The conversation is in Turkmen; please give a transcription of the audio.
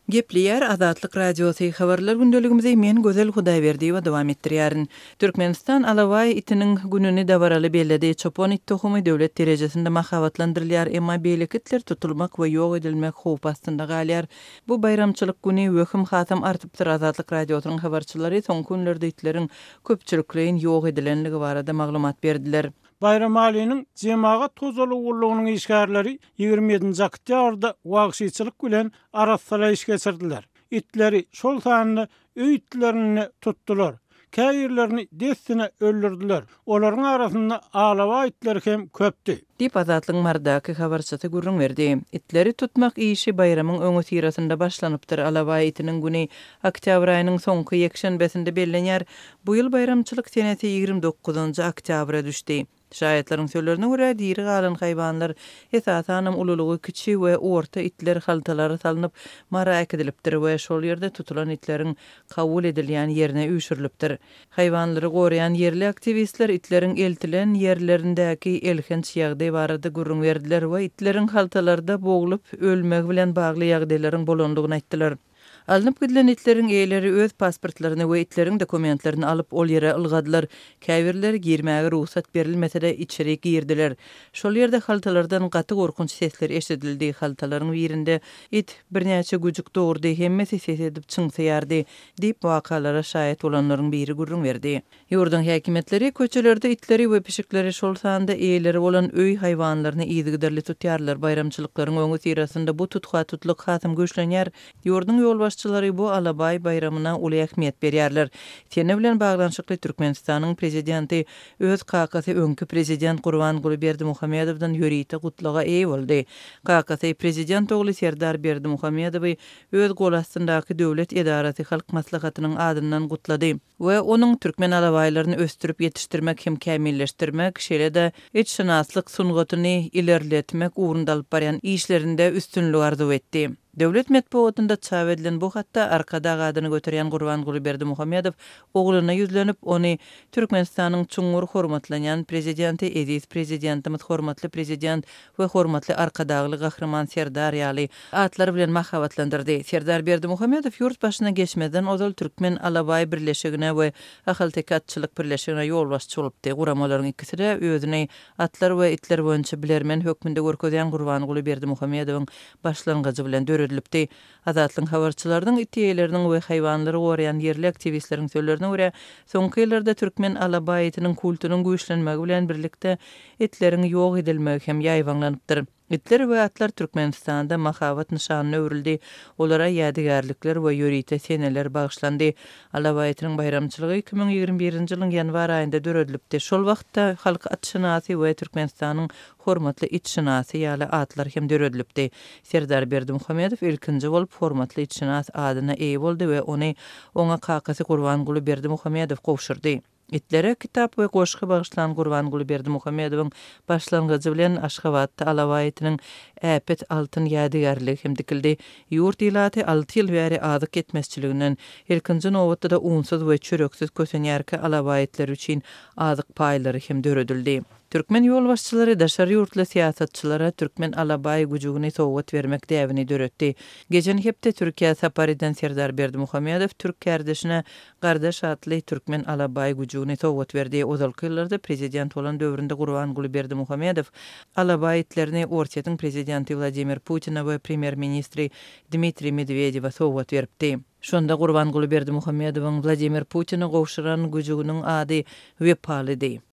Gepleýär Azatlyk Radiosy, Habarlar gündeligimizi men Gözel Hudaýberdiýewa dowam etdirýärin. Türkmenistan alabaý itiniň gününi dabaraly belledi. Çopan it tohumy döwlet derejesinde mahabatlandyrylýar, emma beýleki itler tutulmak we ýok edilmek howpy astynda galýar. Bu baýramçylyk güni wehim hasam artypdyr. Azatlyk Radiosynyň habarçylary soňky günlerde itleriň köpçülikleýin ýok edilenligi barada maglumat berdiler. Baýramalynyň jemagat hojalygy gullugynyň işgärleri 27-nji oktýabrda wagşyçylyk bilen arassalaýyş geçirdiler. Itleri, şol sanda öý itlerini-de tutdular. Käbirlerini dessine öldürdiler. Olaryň arasynda alabaý itleri hem köpdi. Diýip, Azatlygyň Marydaky habarçysy gürrüň berdi. Itleri tutmak işi baýramyň öňüsyrasynda başlanypdyr. Alabaý itiniň güni oktýabr aýynyň soňky ýekşenbesinde bellenýär. Bu ýyl baýramçylyk senesi 29-njy oktýabra düşdi. Şaýatlaryň sözlerine görä, diri galan haýwanlar, esasanam ululygy kiçi we orta itler haltalara salnyp, Mara äkidilipdir we şol ýerde tutulan itleriň kabul edilýän ýerine üýşürilipdir. Haýwanlary goraýan ýerli aktiwistler itleriň eltilen ýerlerindäki elhenç ýagdaý barada gürrüň berdiler we itleriň haltalarda boglup ölmegi bilen bagly ýagdaýlaryň bolandygyny aýtdylar. Alnyp gidilen itleriň eýeleri öz pasportlaryny we itleriň dokumentlerini alyp, ol ýere ylgadylar. Käbirleri girmäge rugsat berilmese-de, içeri girdiler. Şol ýerde haltalardan gaty gorkunç sesler eşidildi. Haltalaryň birinde it birnäçe güjük dogurdy, hemmesi ses edip çyňsaýardy, diýip, wakalara şaýat bolanlaryň biri gürrüň berdi. Ýurduň häkimiýetleri köçelerde itleri we pişikleri, şol sanda eýeleri bolan öý haýwanlaryny yzygiderli tutýarlar. Baýramçylyklaryň öňüsyrasynda bu tutha-tutlyk hasam güýçlenýär. Ýurduň ýolbaşçylary bu alabaý baýramyna uly ähmiýet berýärler. Sene bilen baglanyşykly Türkmenistanyň prezidenti öz kakasy öňki prezident Gurbanguly Berdimuhamedowdan ýörite gutlaga eýe boldy. Kakasy prezident ogly Serdar Berdimuhamedowy öz golastyndaky döwlet edarasy Halk Maslahatynyň adyndan gutlady. We onuň türkmen alabaýlaryny ösdürip ýetişdirmek hem kämilleşdirmek, şeýle-de itşynaslyk sungatyny ilerletmek ugrunda alyp barýan işlerinde üstünlik arzuw etdi. Döwlet metbugatynda çap edilen bu hatda Arkadag adyny göterýän Gurbanguly Berdimuhamedow ogluna ýüzlenip, ony Türkmenistanyň çuňňur hormatlanýan Prezidenti, eziz Prezidentimiz, hormatly Prezident we hormatly Arkadagly Gahryman Serdar ýaly atlar bilen mahabatlandyrdy. Serdar Berdimuhamedow ýurt başyna geçmezden ozal Türkmen alabaý birleşigine we Ahalteke atçylyk birleşigine ýolbaşçy bolupdy. Guramalaryň ikisi-de özüni atlar we itler boýunça bilermen hökmünde görkezýän Gurbanguly Berdimuhamedowyň başlangyjy bilen döredilipdi. Azatlygyň habarçylarynyň, it eýeleriniň we haýwanlary goraýan ýerli aktiwistleriň sözlerine görä, soňky ýyllarda türkmen alabaý itiniň kultunyň güýçlenmegi bilen birlikde itleriň ýok edilmegi hem ýaýbaňlanypdyr. Itler we atlar Türkmenistanda mahabat nyşanyna öwrüldi, olara ýadygärlikler we ýörite seneler bagyşlandy. Alabaý itiniň baýramçylygy 2021-nji ýylyň ýanwar aýynda döredilipdi. Şol wagtda Halk atşynasy we Türkmenistanyň hormatly itşynasy ýaly atlar hem döredilipdi. Serdar Berdimuhamedow ilkinji bolup hormatly itşynas adyna eýe boldy we ony oňa kakasy Gurbanguly Berdimuhamedow gowşurdy. Itlere kitap we goşgy bagyşlan Gurbanguly Berdimuhamedowyň başlangyjy bilen Aşgabatda alabaý itiniň äpet altyn ýadygärligi hem dikildi. Ýurt ilaty alty ýyl bäri azyk ýetmezçiliginden, ilkinji nobatda-da unsuz we çöreksiz kösenýärkä alabaý itleri üçin azyk paýlary hem döredildi. Türkmen ýolbaşçylary daşary ýurtly syýasatçylara türkmen alabaý güjügini sowgat bermek däbini döretdi. Geçen hepde Türkiýä sapar eden Serdar Berdimuhamedow türk kärdeşine Gardaş atly türkmen alabaý güjügini sowgat berdi. Ozalky ýyllarda prezident bolan döwründe Gurbanguly Berdimuhamedow alabaý itlerini Orsýetiň prezidenti Wladimir Putine we premýer-ministri Dmitriý Medwedewe sowgat beripdi. Şonda Gurbanguly Berdimuhamedowyň Wladimir Putine gowşuran güjüginiň ady Wepalydy.